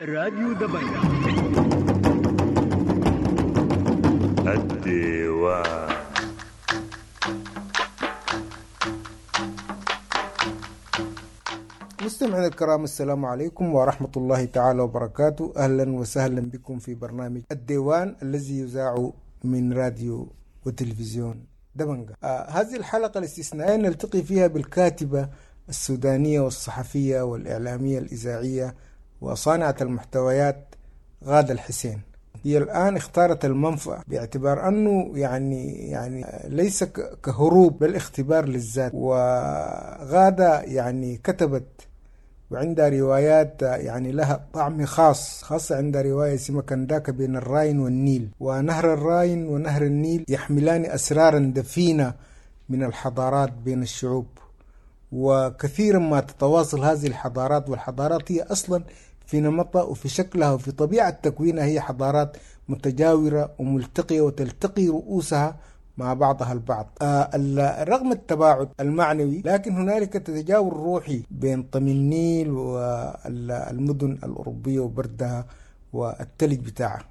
راديو دبنجة. الديوان. مستمعينا الكرام، السلام عليكم ورحمة الله تعالى وبركاته. أهلا وسهلا بكم في برنامج الديوان الذي يذاع من راديو وتلفزيون دبنجة. هذه الحلقة الاستثنائية نلتقي فيها بالكاتبة السودانية والصحفية والإعلامية الإذاعية وصانعة المحتويات غادة الحسين. هي الآن اختارت المنفى باعتبار أنه يعني ليس كهروب بل اختبار للذات. وغادة يعني كتبت وعندها روايات يعني لها طعم خاص، خاصة عندها رواية اسمها كنداكا بين الراين والنيل. ونهر الراين ونهر النيل يحملان أسرارا دفينة من الحضارات بين الشعوب، وكثيرا ما تتواصل هذه الحضارات، والحضارات هي أصلا في نمطها وفي شكلها وفي طبيعة تكوينها هي حضارات متجاورة وملتقية وتلتقي رؤوسها مع بعضها البعض. رغم التباعد المعنوي لكن هنالك تجاور روحي بين طمي النيل والمدن الأوروبية وبردها والتلج بتاعها.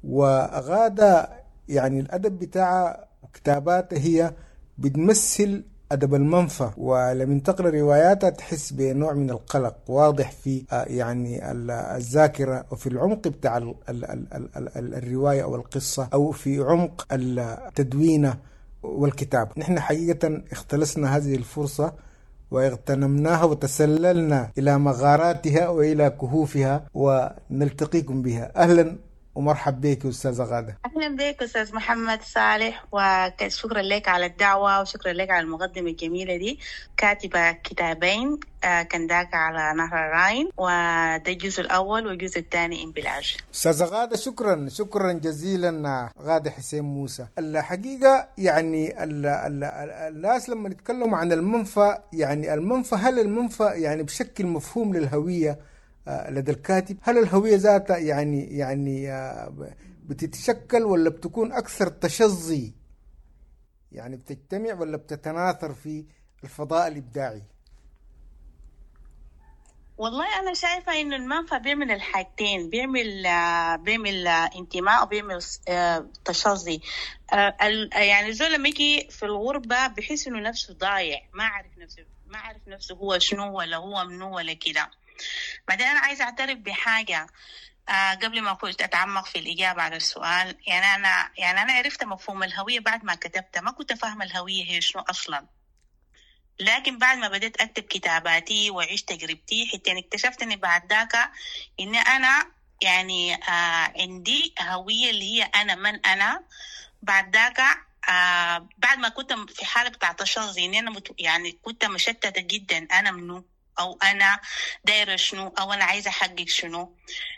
وغادة يعني الأدب بتاعها وكتاباتها هي بتمثل أدب المنفى، ولما تقرأ رواياتها تحس بنوع من القلق واضح في يعني الذاكرة وفي العمق بتاع ال ال ال ال ال الرواية أو القصة أو في عمق التدوينة والكتاب. نحن حقيقة اختلسنا هذه الفرصة واغتنمناها وتسللنا إلى مغاراتها وإلى كهوفها ونلتقيكم بها. أهلا ومرحب بك أستاذة غادة. أهلا بك أستاذ محمد صالح، وشكرا لك على الدعوة وشكرا لك على المقدمة الجميلة دي. كاتبة كتابين، كنداكا على نهر الراين، وده الجزء الأول، والجزء الثاني انبلاج. أستاذة غادة شكرا، شكرا جزيلا غادة حسين موسى. الحقيقة يعني الناس لما يتكلموا عن المنفى، يعني المنفى، هل المنفى يعني بشكل مفهوم للهوية لدى الكاتب؟ هل الهوية ذاتها يعني بتتشكل ولا بتكون أكثر تشظي؟ يعني بتجتمع ولا بتتناثر في الفضاء الإبداعي؟ والله أنا شايفة إنه المنفى بيعمل الحاجتين، بيعمل انتماء وبيعمل تشظي. يعني زول لما يجي في الغربة بحس إنه نفسه ضايع، ما عارف نفسه هو شنو ولا هو منو ولا كده. بعدين أنا عايزة أعترف بحاجة قبل ما كنت أتعمق في الإجابة على السؤال. يعني أنا عرفت مفهوم الهوية بعد ما كتبتها، ما كنت فاهمة الهوية هي شنو أصلا، لكن بعد ما بدأت أكتب كتاباتي وأعيش تجربتي حتى اكتشفت إني بعد ذاك إن أنا يعني عندي هوية اللي هي أنا من أنا. بعد ذاك بعد ما كنت في حالة بتاع تشظي، إن أنا يعني كنت مشتتة جدا، أنا منو أو أنا دايرة شنو أو أنا عايزة أحقق شنو.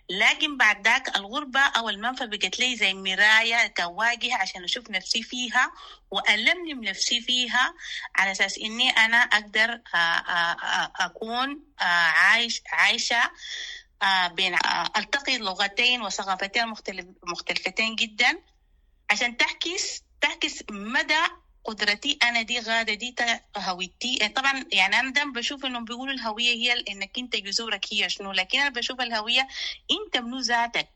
لكن بعد ذاك الغربة أو المنفى بقت لي زي مراية كواجهة عشان أشوف نفسي فيها وألملم نفسي فيها، على أساس إني أنا أقدر أكون عايشة بين ألتقي لغتين وثقافتين مختلفتين جدا، عشان تعكس مدى قدرتي أنا دي غادة دي هويتي. طبعا يعني أنا دايما بشوف إنهم بيقولوا الهوية هي إنك أنت جذورك هي شنو، لكن أنا بشوف الهوية أنت منو ذاتك.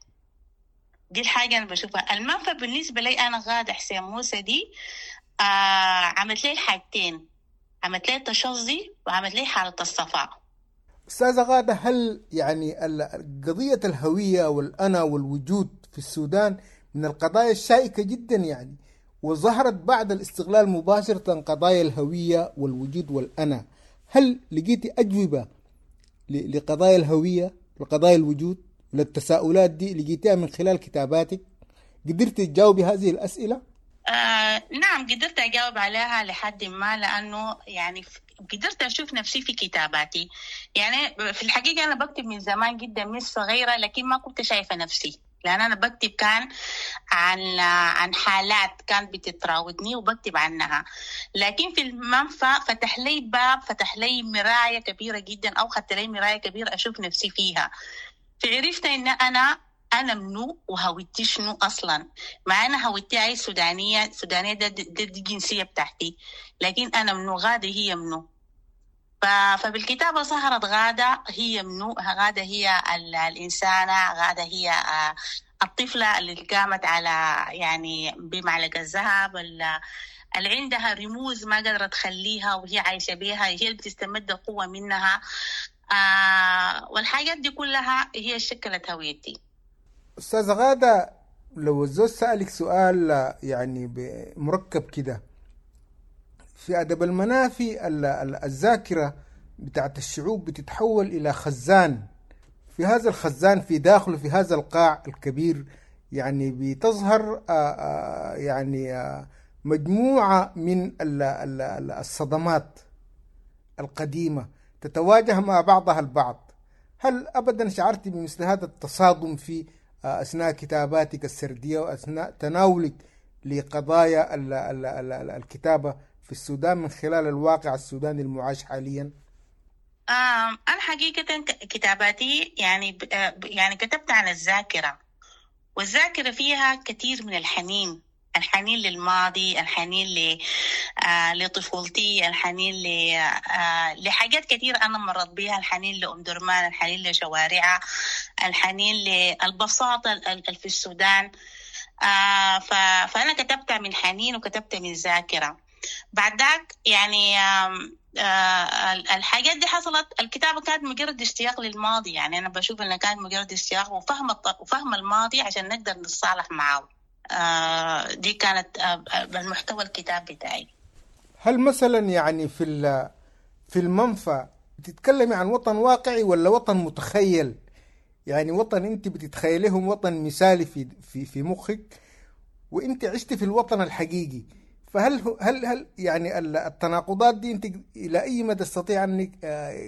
دي الحاجة أنا بشوفها. المنفى بالنسبة لي أنا غادة حسين موسى دي عملت لي الحاجتين، عملت لي التشظي وعملت لي حالة الصفاء. أستاذة غادة، هل يعني قضية الهوية والأنا والوجود في السودان من القضايا الشائكة جدا يعني، وظهرت بعد الاستغلال مباشرة قضايا الهوية والوجود والأنا، هل لقيتي أجوبة لقضايا الهوية لقضايا الوجود للتساؤلات دي لقيتيها من خلال كتاباتك؟ قدرتي تجاوبي هذه الأسئلة؟ نعم قدرت أجاوب عليها لحد ما، لأنه يعني قدرت أشوف نفسي في كتاباتي. يعني في الحقيقة أنا بكتب من زمان جدا من صغيرة، لكن ما كنت شايفة نفسي، لأن أنا بكتب كان عن حالات كانت بتتراودني وبكتب عنها. لكن في المنفى فتح لي باب، فتح لي مراية كبيرة جدا، أو خدت لي مراية كبيرة أشوف نفسي فيها. فعرفت إن أنا منو وهويتي شنو أصلا. مع أنا هويتي هاي سودانية، سودانية ده دي الجنسية بتاعتي، لكن أنا منو، غادة هي منو. فبالكتابة ظهرت غادة هي منو، غادة هي الإنسانة، غادة هي الطفلة اللي قامت على يعني بمعلقة الذهب، اللي عندها رموز ما قدرت تخليها وهي عايشة بيها، هي اللي بتستمد القوة منها. والحاجات دي كلها هي شكلت هويتي. أستاذة غادة، لو الزوج سألك سؤال يعني مركب كده في أدب المنافي، الذاكرة بتاعت الشعوب بتتحول إلى خزان، في هذا الخزان في داخله في هذا القاع الكبير يعني بتظهر يعني مجموعة من الصدمات القديمة تتواجه مع بعضها البعض. هل أبدا شعرت بمثل هذا التصادم في أثناء كتاباتك السردية وأثناء تناولك لقضايا الكتابة في السودان من خلال الواقع السوداني المعاش حاليا؟ أنا حقيقة كتاباتي يعني كتبت عن الذاكرة، والذاكرة فيها كثير من الحنين، الحنين للماضي، الحنين لطفولتي، الحنين لحاجات كثير أنا مرت بيها، الحنين لأم درمان، الحنين لشوارعها، الحنين للبساطة في السودان. فأنا كتبت من حنين وكتبت من ذاكرة. بعد ذاك يعني الحاجات دي حصلت. الكتابة كانت مجرد اشتياق للماضي، يعني أنا بشوف أنها كانت مجرد اشتياق وفهم الماضي عشان نقدر نتصالح معه. دي كانت المحتوى الكتاب بتاعي. هل مثلا يعني في المنفى بتتكلمي عن وطن واقعي ولا وطن متخيل؟ يعني وطن انت بتتخيلهم وطن مثالي في في في مخك، وانت عشت في الوطن الحقيقي، فهل هل هل يعني التناقضات دي انت الى اي مدى تستطيع انك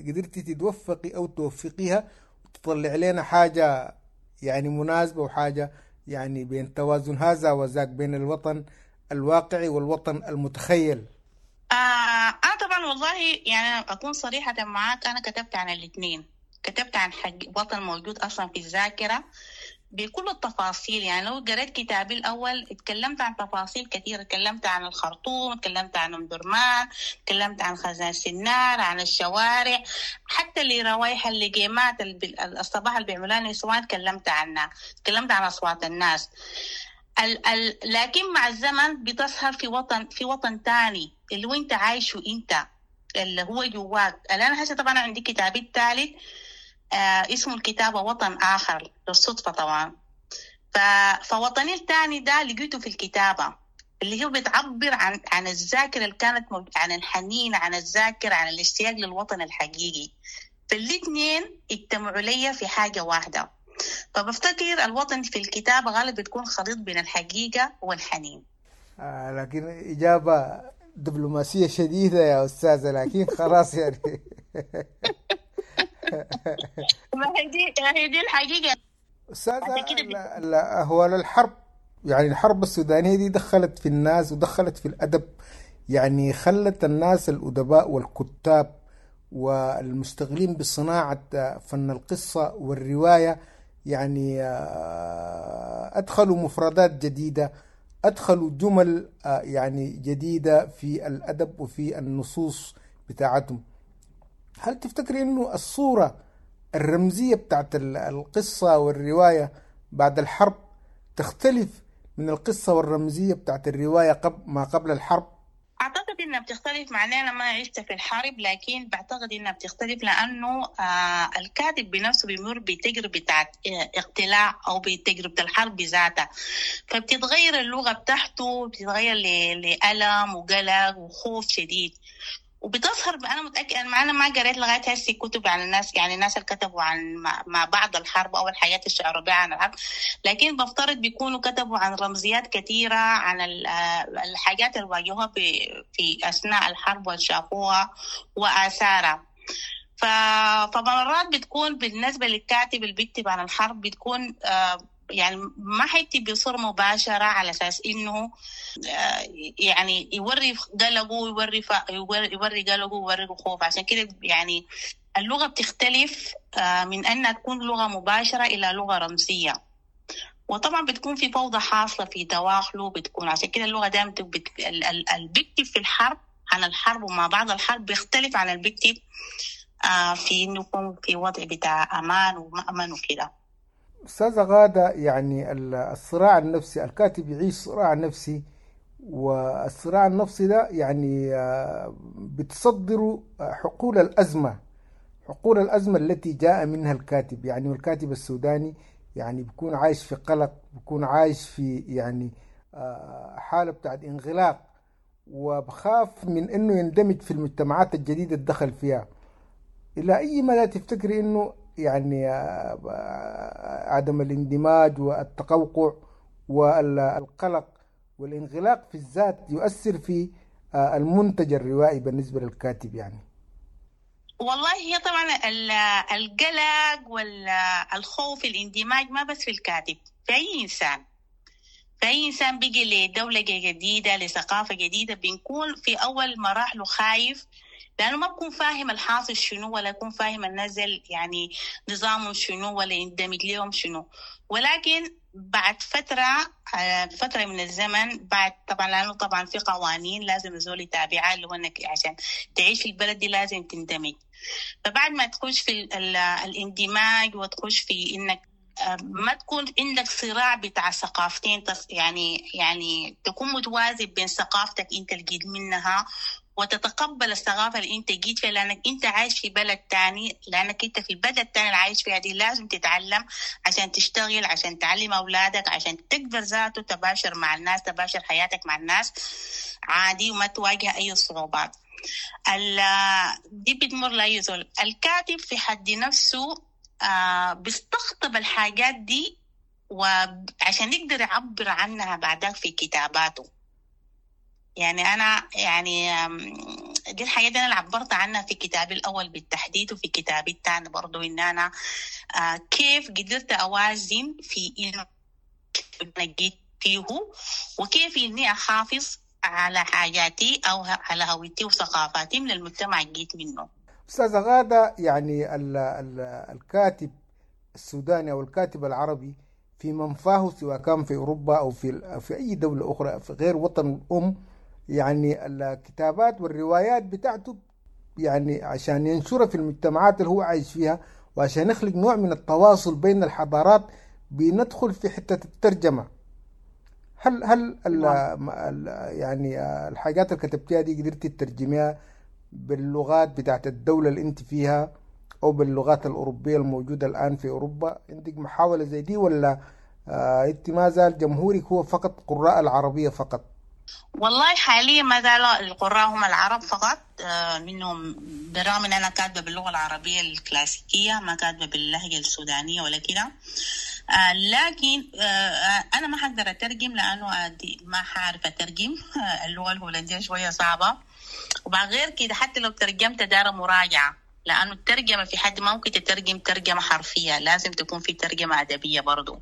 قدرتي تتوفقي او توفقيها وتطلع لنا حاجه يعني مناسبه وحاجه يعني بين توازن هذا وذاك، بين الوطن الواقعي والوطن المتخيل؟ أنا طبعا والله يعني أكون صريحة معاك، أنا كتبت عن الاثنين، كتبت عن وطن موجود أصلا في الذاكرة بكل التفاصيل. يعني لو قرأت كتابي الأول اتكلمت عن تفاصيل كثيرة، اتكلمت عن الخرطوم، اتكلمت عن أم درمان، اتكلمت عن خزان سنار، عن الشوارع، حتى اللي روايح اللقيمات الصباح اللي بيعملوها النسوان اتكلمت عنها، اتكلمت عن أصوات الناس. لكن مع الزمن بتظهر في وطن تاني اللي هو انت عايشه، انت اللي هو جواك. الآن هسه طبعا عندي كتابي الثالث اسمه الكتابة وطن آخر، للصدفة طبعا. فوطني الثاني ده لقيته في الكتابة، اللي هو بتعبر عن الذاكرة اللي كانت عن الحنين، عن الذاكرة، عن الاشتياق للوطن الحقيقي. فالاثنين اجتمعوا لي في حاجة واحدة. فبفتكر الوطن في الكتابة غالبا بتكون خليط بين الحقيقة والحنين. لكن إجابة دبلوماسية شديدة يا أستاذة، لكن خلاص يعني. ما هي دي الحقيقة أستاذة. هو الحرب، يعني الحرب السودانية دي دخلت في الناس ودخلت في الأدب، يعني خلت الناس الأدباء والكتاب والمشتغلين بصناعة فن القصة والرواية يعني أدخلوا مفردات جديدة، أدخلوا جمل يعني جديدة في الأدب وفي النصوص بتاعتهم. هل تفتكري أنه الصورة الرمزية بتاعت القصة والرواية بعد الحرب تختلف من القصة والرمزية بتاعت الرواية ما قبل الحرب؟ أعتقد إنها بتختلف، مع إني أنا ما عشت في الحرب، لكن بعتقد إنها بتختلف لأنه الكاتب بنفسه بيمر بتجربة بتاعت اقتلاع أو بتجربة الحرب بذاتها، فبتتغير اللغة بتاعته، بتتغير لألم وقلق وخوف شديد، وبتظهر. أنا متأكدة، أنا ما قريت لغاية هسه كتب عن الناس، يعني الناس اللي كتبوا عن ما بعد الحرب أو الحياة الشعرية عن الحرب، لكن بفترض بيكونوا كتبوا عن رمزيات كثيرة، عن الحاجات اللي واجهوها في أثناء الحرب وشافوها وآثارها. فمرات بتكون بالنسبة للكاتب اللي بيكتب عن الحرب بتكون يعني ما حيكتب بصورة مباشرة على أساس إنه يعني يوري قلقه ويوري قلقه ويوري خوف. عشان كده يعني اللغة بتختلف من أنها تكون لغة مباشرة إلى لغة رمزية، وطبعا بتكون في فوضى حاصلة في دواخله، بتكون عشان كده اللغة دائما اللي بيكتب في الحرب عن الحرب وما بعد الحرب بيختلف عن اللي بيكتب في إنه يكون في وضع بتاع أمان ومأمن وكده. أستاذة غادة، يعني الصراع النفسي، الكاتب يعيش صراع نفسي، والصراع النفسي ده يعني بتصدر حقول الأزمة، حقول الأزمة التي جاء منها الكاتب. يعني الكاتب السوداني يعني بيكون عايش في قلق، بيكون عايش في يعني حالة بتاعت انغلاق، وبخاف من إنه يندمج في المجتمعات الجديدة اللي دخل فيها. إلى أي مدى تفتكري إنه يعني عدم الاندماج والتقوقع والقلق والانغلاق في الذات يؤثر في المنتج الروائي بالنسبة للكاتب؟ يعني والله هي طبعا القلق والخوف الاندماج ما بس في الكاتب، في أي إنسان، في أي إنسان بيجي لدولة جديدة لثقافة جديدة بنكون في أول مراحله خايف، لأنه ما بكون فاهم الحاصل شنو، ولا يكون فاهم النزل يعني نظامهم شنو، ولا يندمج لهم شنو. ولكن بعد فترة من الزمن، بعد طبعا لأنه طبعا في قوانين لازم الزول يتابعها، اللي هو إنك عشان تعيش في البلد دي لازم تندمج. فبعد ما تخش في الاندماج وتخش في إنك ما تكون عندك صراع بتاع ثقافتين، يعني تكون متوازن بين ثقافتك أنت اللي جيت منها وتتقبل الثقافة اللي أنت جيت فيها، لأنك أنت عايش في بلد تاني، لأنك أنت في البلد التاني اللي عايش فيها دي لازم تتعلم عشان تشتغل، عشان تعلم أولادك، عشان تقدر ذاته تباشر مع الناس، تباشر حياتك مع الناس عادي وما تواجه أي صعوبات. دي بتمر لأي زول. الكاتب في حد نفسه بيستقطب الحاجات دي وعشان يقدر يعبر عنها بعدها في كتاباته. يعني أنا يعني دي الحاجات أنا اللي عبرت عنها في كتابي الأول بالتحديد، وفي كتابي الثاني برضو، إن أنا كيف قدرت أوازن في إنه أنا جيت فيه، وكيف إني أحافظ على حاجاتي أو على هويتي وثقافاتي من المجتمع اللي جيت منه. أستاذة غادة، يعني الكاتب السوداني أو الكاتب العربي في منفاه، سواء كان في أوروبا أو في أي دولة أخرى في غير وطن الأم، يعني الكتابات والروايات بتاعته يعني عشان ينشرها في المجتمعات اللي هو عايش فيها، وعشان يخلق نوع من التواصل بين الحضارات، بندخل في حتة الترجمة. هل ال يعني الحاجات اللي كتبتيها دي قدرتي تترجميها باللغات بتاعت الدولة اللي انت فيها أو باللغات الأوروبية الموجودة الآن في أوروبا؟ عندك محاولة زي دي، ولا انت ما زال جمهورك هو فقط قراء العربية فقط؟ والله حاليا ما زال القراء هم العرب فقط، منهم بالرغم ان انا كاتبه باللغه العربيه الكلاسيكيه، ما كاتبه باللهجه السودانيه ولا كده، لكن انا ما حقدر اترجم لانه ما حعرف اترجم اللغه الهولنديه شويه صعبه، وبعد غير كده حتى لو ترجمت دار مراجعه، لانه الترجمه في حد ما ممكن تترجم ترجمه حرفيه، لازم تكون في ترجمه ادبيه برضو.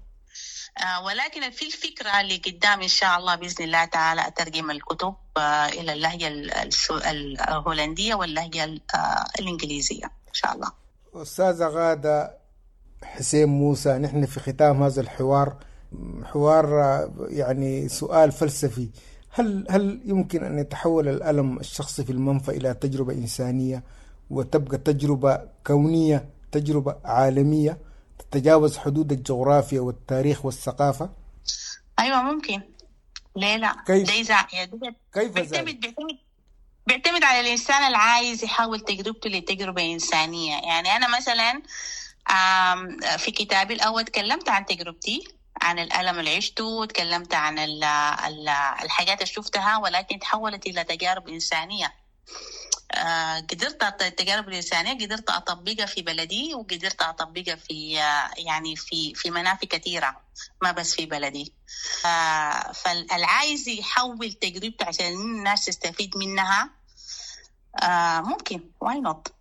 ولكن في الفكرة اللي قدام إن شاء الله بإذن الله تعالى أترجم الكتب إلى اللهجة الهولندية واللهجة الإنجليزية إن شاء الله. أستاذة غادة حسين موسى، نحن في ختام هذا الحوار، حوار يعني سؤال فلسفي، هل يمكن أن يتحول الألم الشخصي في المنفى إلى تجربة إنسانية وتبقى تجربة كونية، تجربة عالمية تتجاوز حدود الجغرافيا والتاريخ والثقافة؟ أيوة ممكن، ليه لا؟ كيف؟ كيف ذلك؟ بيعتمد على الإنسان العايز يحول تجربته لتجربة إنسانية. يعني أنا مثلا في كتابي الأول تكلمت عن تجربتي، عن الألم اللي عشته، تكلمت عن الحاجات اللي شفتها، ولكن تحولت إلى تجارب إنسانية. قدرت التجارب الإنسانية قدرت أطبقها في بلدي، وقدرت أطبقها في يعني في منافي كثيرة، ما بس في بلدي. فالعايز يحول تجربته عشان الناس تستفيد منها ممكن، why not.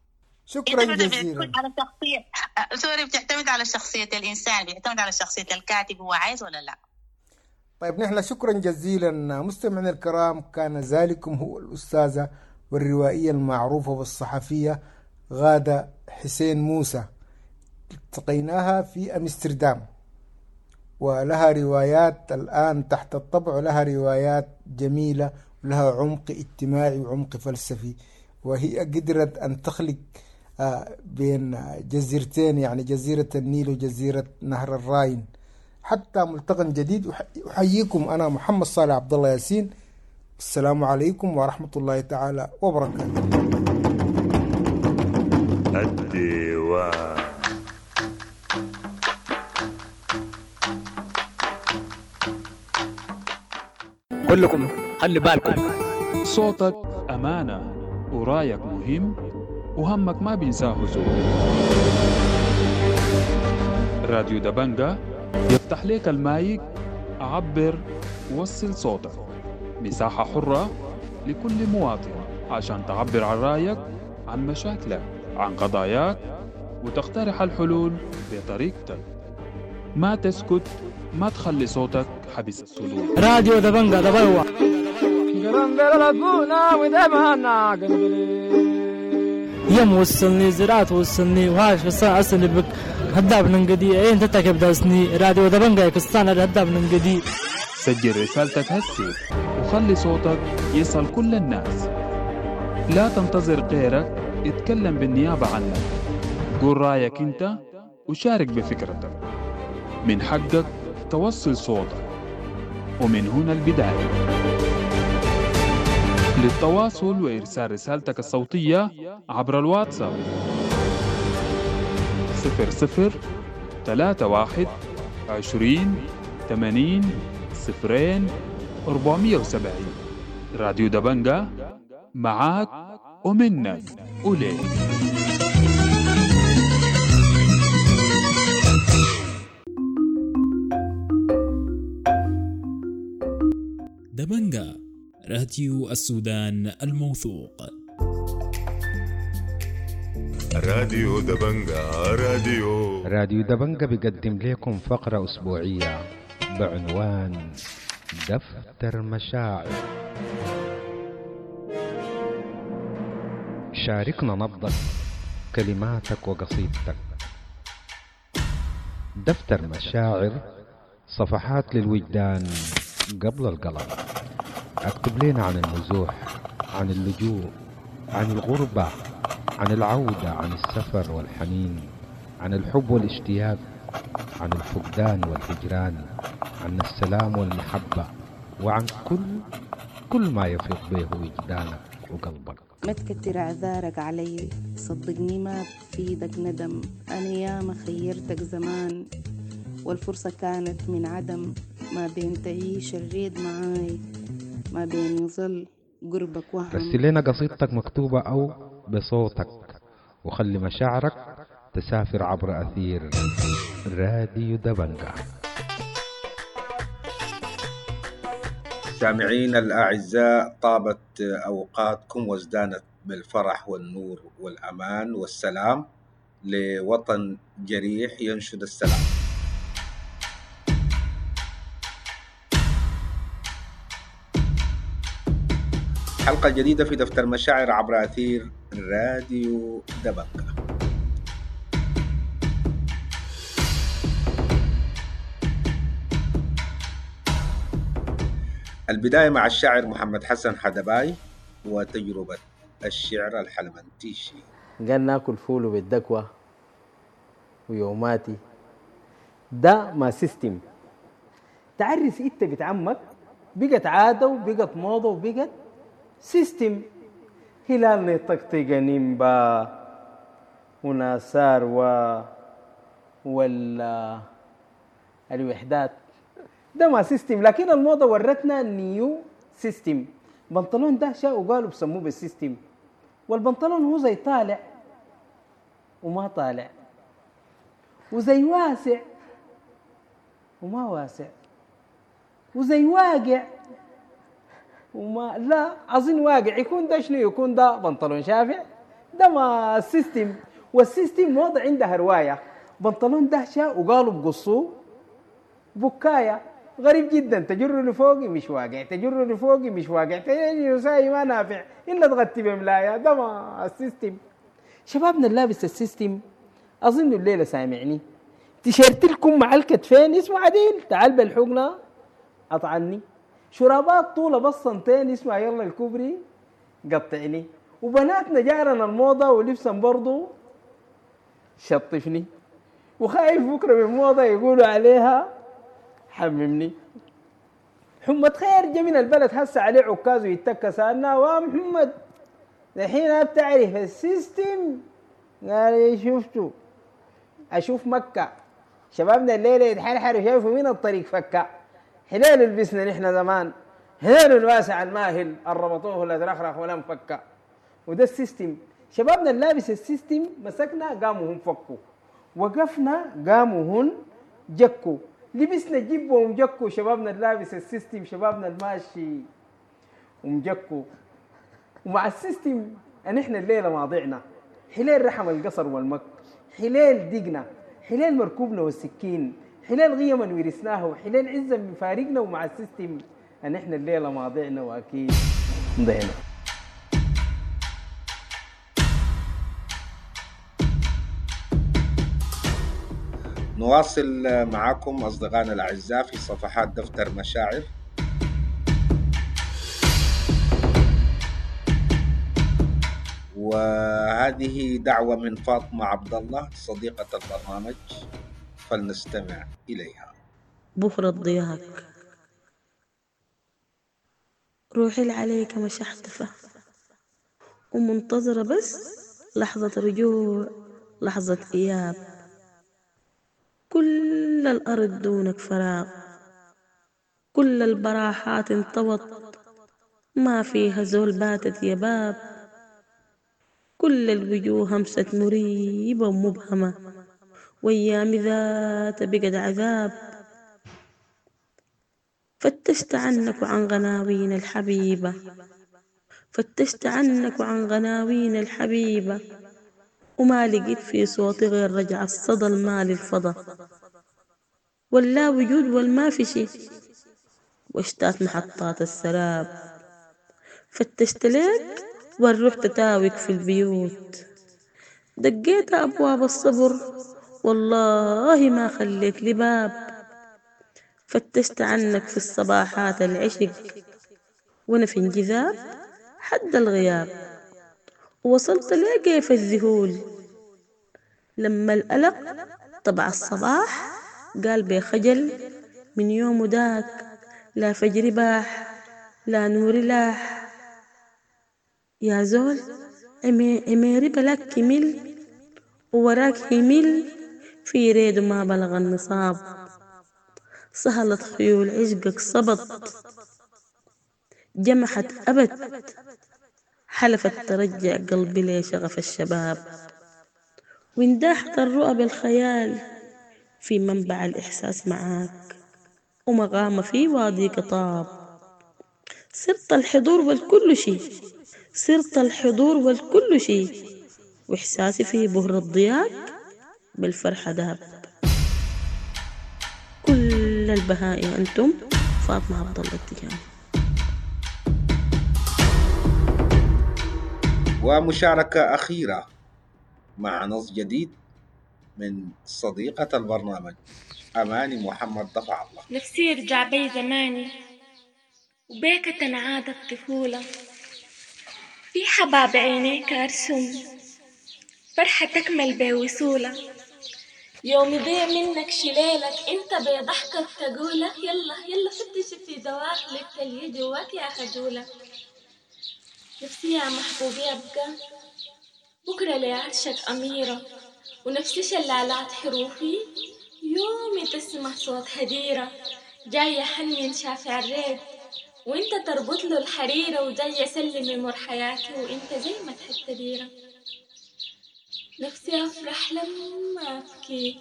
شكرا جزيلا. على شخصية sorry، بتعتمد على شخصية الإنسان، بيعتمد على شخصية الكاتب، هو عايز ولا لا. طيب نحن شكرا جزيلا مستمعينا الكرام، كان ذلكم هو الأستاذة والروائية المعروفة والصحفية غادة حسين موسى، التقيناها في أمستردام، ولها روايات الآن تحت الطبع، ولها روايات جميلة لها عمق اجتماعي وعمق فلسفي، وهي قدرت أن تخلق بين جزيرتين، يعني جزيرة النيل وجزيرة نهر الراين، حتى ملتقى جديد. أحييكم أنا محمد صالح عبد الله ياسين. السلام عليكم ورحمة الله تعالى وبركاته. الديوان. كلكم خلي بالكم، صوتك أمانة ورايك مهم وهمك ما بينساه زول. راديو دبنجة يفتح لك المايك، عبر وصل صوتك، مساحة حرة لكل مواطن عشان تعبر عن رأيك، عن مشاكلك، عن قضاياك، وتقترح الحلول بطريقتك. ما تسكت، ما تخلي صوتك حبس الصدور. راديو دبنجة دبلوة. يم وصلني زراعة وصلني وهاش بس أصلي بك هداب ننقدي أين تتكب داسني. راديو دبنجة كستان هداب ننقدي. سجل رسالتك هسي وخلي صوتك يصل كل الناس. لا تنتظر غيرك يتكلم بالنيابة عنك. قول رأيك انت وشارك بفكرتك. من حقك توصل صوتك، ومن هنا البداية. للتواصل وإرسال رسالتك الصوتية عبر الواتساب 00 31 20 80 0 470. راديو دبنجة معاك ومنك وليك. دبنجة، راديو السودان الموثوق. راديو دبنجة، راديو دبنجة بيقدم لكم فقرة أسبوعية بعنوان دفتر مشاعر. شاركنا نبضك، كلماتك وقصيدتك. دفتر مشاعر، صفحات للوجدان قبل القلم. اكتب لنا عن النزوح، عن اللجوء، عن الغربة، عن العودة، عن السفر والحنين، عن الحب والاشتياق، عن الفقدان والهجران، عن السلام والمحبة، وعن كل ما يفيض به وجدانك وقلبك. ما تكتر اعذارك علي، صدقني ما بفيدك ندم. انا ياما خيرتك زمان والفرصة كانت من عدم. ما بين تعيش الريد معاي، ما بين يظل قربك وهم. رسل لنا قصيدتك مكتوبة أو بصوتك، وخلي مشاعرك تسافر عبر أثير راديو دبنجة. سامعين الأعزاء، طابت أوقاتكم وازدانت بالفرح والنور والأمان والسلام لوطن جريح ينشد السلام. حلقة جديدة في دفتر مشاعر عبر أثير راديو دبنجة. البداية مع الشاعر محمد حسن حدباي وتجربة الشعر الحلمنتيشي. قال ناكل فول بالدكوة ويوماتي، ده ما system. تعرس انت بنت عمك بقت عادة وبقت موضة وبقت system. هلال طقطقة نيمبا وناسار ولا الوحدات، ده ما system. لكن الموضة ورتنا new system. بنطلون ده شاء وقالوا بسموه بال system، والبنطلون هو زي طالع وما طالع، وزي واسع وما واسع، وزي واقع وما لا أظن واقع. يكون ده شنو؟ يكون ده بنطلون شافع، ده ما ال system. وال system موضة عندها رواية. بنطلون ده شاء وقالوا بقصوه بكاية، غريب جدا. تجر لفوقي مش واقع، تجر لفوقي مش واقع، تجر ساي ما نافع إلا تغطي بملاية. ده ما ال system. شبابنا اللابس ال system أظن الليلة سامعني. تيشيرت لكم مع الكتفين اسمه عديل، تعال بالحقنة أطعني. شرابات طولة بس سنتين اسمها يلا الكوبري قطعني. وبناتنا جارنا الموضة ولبسا برضو شطفني، وخايف بكرة من موضة يقولوا عليها حممني. حمد خير جا من البلد هسه عليه عكاز ويتكى، سألنا ومحمد الحين بتعرف ال system؟ قال لي شفته أشوف مكة شبابنا الليلة يتحرحروا شايفوا من الطريق فكة. حليل لبسنا نحن زمان، حليل الواسع الماهل الربطوه لا ترخرخ ولا مفكة. وده ال system، شبابنا اللابس ال system مسكنا قاموا هم فكوا، وقفنا قاموا هن جكوا، لبسنا جيب ومجكوا. شبابنا اللابس ال system، شبابنا الماشي ومجكوا. ومع ال system ان احنا الليله ما ضعنا، حليل رحم القصر والمك، حليل دقنا، حليل مركوبنا والسكين، حليل غيما ورثناه، وحليل عزا من فارقنا. ومع ال system ان احنا الليله ما ضعنا واكيد ضعنا. نواصل معكم أصدقائنا الأعزاء في صفحات دفتر مشاعر. وهذه دعوة من فاطمة عبد الله صديقة البرنامج، فلنستمع إليها. بكرة ضياك روحي عليك مشحتفة، ومنتظرة بس لحظة رجوع، لحظة إياب. كل الأرض دونك فراغ، كل البراحات انطوت، ما فيها زول باتت يا باب. كل الوجوه همسة مريبة ومبهمة، وأيام ذات بقت عذاب. فتشت عنك وعن غناوين الحبيبة، فتشت عنك وعن غناوين الحبيبة، وما لقيت في صوتي غير رجع الصدى المال الفضا، ولا وجود والما في شي، واشتات محطات السراب. فتشت لك والروح تتاوك في البيوت، دقيت أبواب الصبر والله ما خليت لي باب. فتشت عنك في الصباحات العشق، وانا في انجذاب حد الغياب، ووصلت لكيف الذهول لما القلق طبع الصباح قال بخجل من يوم داك، لا فجر باح لا نور لاح. يا زول عميري بلاك كمل ووراك همل، في ريد ما بلغ النصاب. سهلت خيول عشقك صبت، جمحت أبت، حلفت ترجع قلبي لشغف الشباب. وانداحت الرؤى بالخيال في منبع الإحساس معاك، ومقام في واديك طاب. صرت الحضور والكل شي، صرت الحضور والكل شي، وإحساسي في بهر الضياق بالفرحة داب. كل البهائم أنتم. فاطمة عبد الله التجاني. ومشاركة أخيرة مع نص جديد من صديقة البرنامج أماني محمد دفع الله. نفسي يرجع بي زماني وبيك تنعاد الطفولة، في حباب عينيك أرسم فرحة تكمل بوصولة. يوم يضيع منك شليلك انت بضحكك تقوله، يلا يلا فتش في دواخلك تلي جواك يا خجولة. نفسي يا محبوبي أبقى بكرة لعرشك أميرة، ونفسي شلالات حروفي يومي تسمع صوت هديرة. جاي حنين شافع الريد وانت تربط له الحريرة، وجاي سلمي مر حياتي وانت زي ما تحب تديرة. نفسي أفرح لما أبكي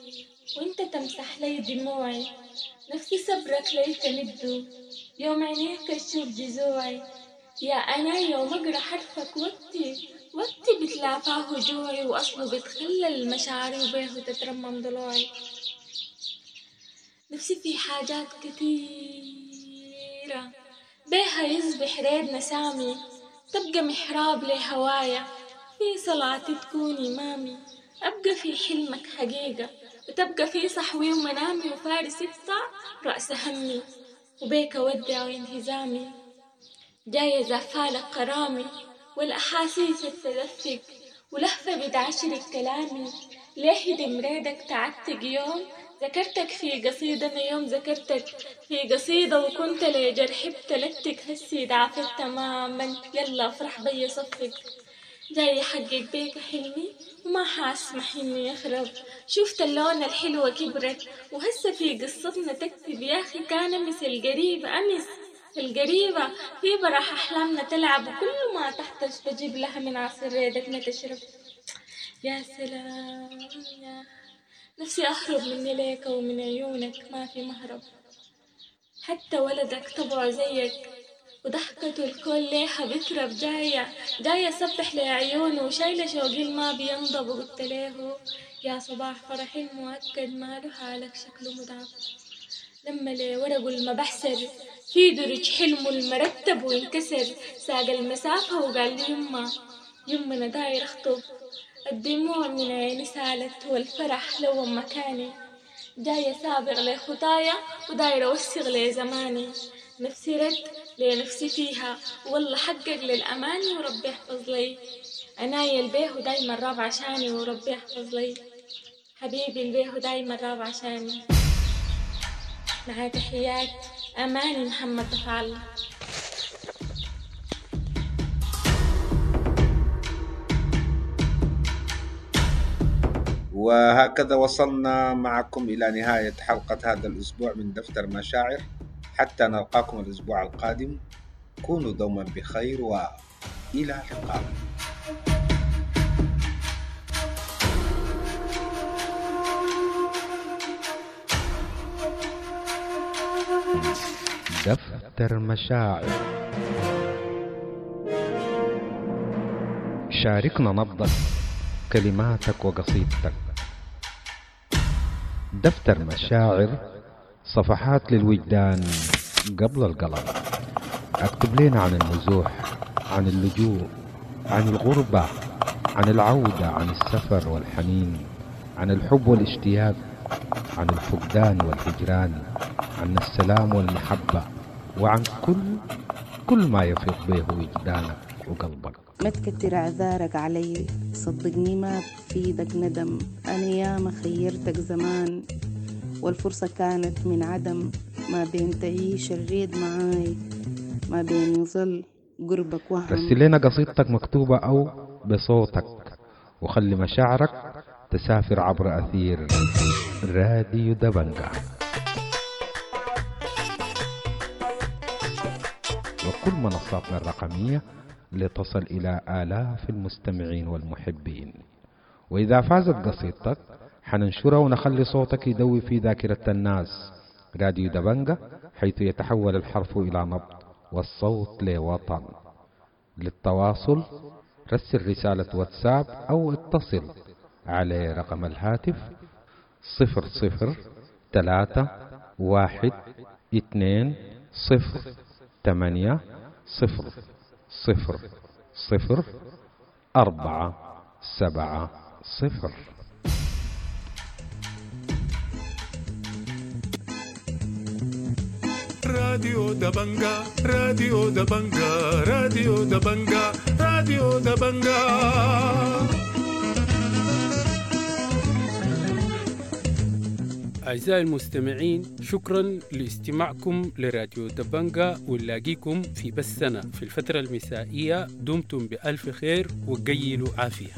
وانت تمسح لي دموعي، نفسي صبرك لي تمده يوم عينيك تشوف جزوعي. يا أنا يوم أقرأ حرفك وقتي وقتي بتلافاه جوعي، وأصله بتخلل مشاعري وبيه تترمم ضلوعي. نفسي في حاجات كثيرة بيها يصبح ريدنا سامي، تبقى محراب لهوايا في صلاتي تكون إمامي. أبقى في حلمك حقيقة وتبقى في صحوي ومنامي، وفارس يقطع رأس همي. وبيك أودع انهزامي. جاية زفالك كرامي والأحاسيس التدفق ولهفة بتعشرك كلامي. ليه دمريدك تعتق يوم ذكرتك في قصيدة، أنا يوم ذكرتك في قصيدة وكنت لجرحي بتلتك، هسي ضعفت تماما يلا افرح بي صفق. جاي أحقق بيك حلمي وما حاسمح إني يخرب، شفت اللون الحلوة كبرت وهسه في قصتنا تكتب. يا أخي كان أمس القريبة، أمس القريبة في براح أحلامنا تلعب، وكل ما تحتش بجيب لها من عصير ريدتنا تشرب. يا سلام يا نفسي أهرب مني ليك ومن عيونك ما في مهرب، حتى ولدك طبعه زيك وضحكته الكل ليها بترب. جاية جاية سبح لعيونه وشايلة شوقي ما بينضب، وقلت له يا صباح فرحي المؤكد ماله حالك شكله متعب. لما لي ورقه المبحسر في درج حلمه المرتب وانكسر، ساق المسافة وقال لي يما يما أنا داير أخطب. الدموع من عيني سالت والفرح لو مكاني، جاية سابق لخطايا ودايرة أوثق لزماني. نفسي رد لنفسي فيها والله حقق للأماني، وربي يحفظ لي أنايا البيه دايما راب عشاني، وربي يحفظ لي حبيبي البيه دايما راب عشاني. مع تحيات أماني محمد دفع الله. وهكذا وصلنا معكم إلى نهاية حلقة هذا الأسبوع من دفتر مشاعر. حتى نلقاكم الأسبوع القادم، كونوا دوما بخير وإلى اللقاء. دفتر مشاعر، شاركنا نبضك، كلماتك وقصيدتك. دفتر مشاعر، صفحات للوجدان قبل القلم. اكتب لنا عن النزوح، عن اللجوء، عن الغربة، عن العودة، عن السفر والحنين، عن الحب والاشتياق، عن الفقدان والهجران، عن السلام والمحبة، وعن كل ما يفيض به وجدانك وقلبك. ما تكتر اعذارك علي، صدقني ما بفيدك ندم. أنا ياما خيرتك زمان والفرصة كانت من عدم، ما بين تعيش الريد معاي، ما بين يظل قربك وهم. رسل لنا قصيدتك مكتوبة أو بصوتك، وخلي مشاعرك تسافر عبر أثير راديو دبنجة وكل منصاتنا الرقمية لتصل إلى آلاف المستمعين والمحبين. وإذا فازت قصيدتك حننشرها ونخلي صوتك يدوي في ذاكرة الناس. راديو دبنجة، حيث يتحول الحرف إلى نبض والصوت لوطن. للتواصل رسل رسالة واتساب أو اتصل على رقم الهاتف 00 3 1 2 0 8 0 0 0 4 7 0. راديو دبنجا، راديو دبنجا، راديو دبنجا، راديو دبنجا. أعزائي المستمعين، شكرا لاستماعكم لراديو دبنجا، ونلاقيكم في بثنا في الفترة المسائية. دمتم بألف خير وقيلوا عافية.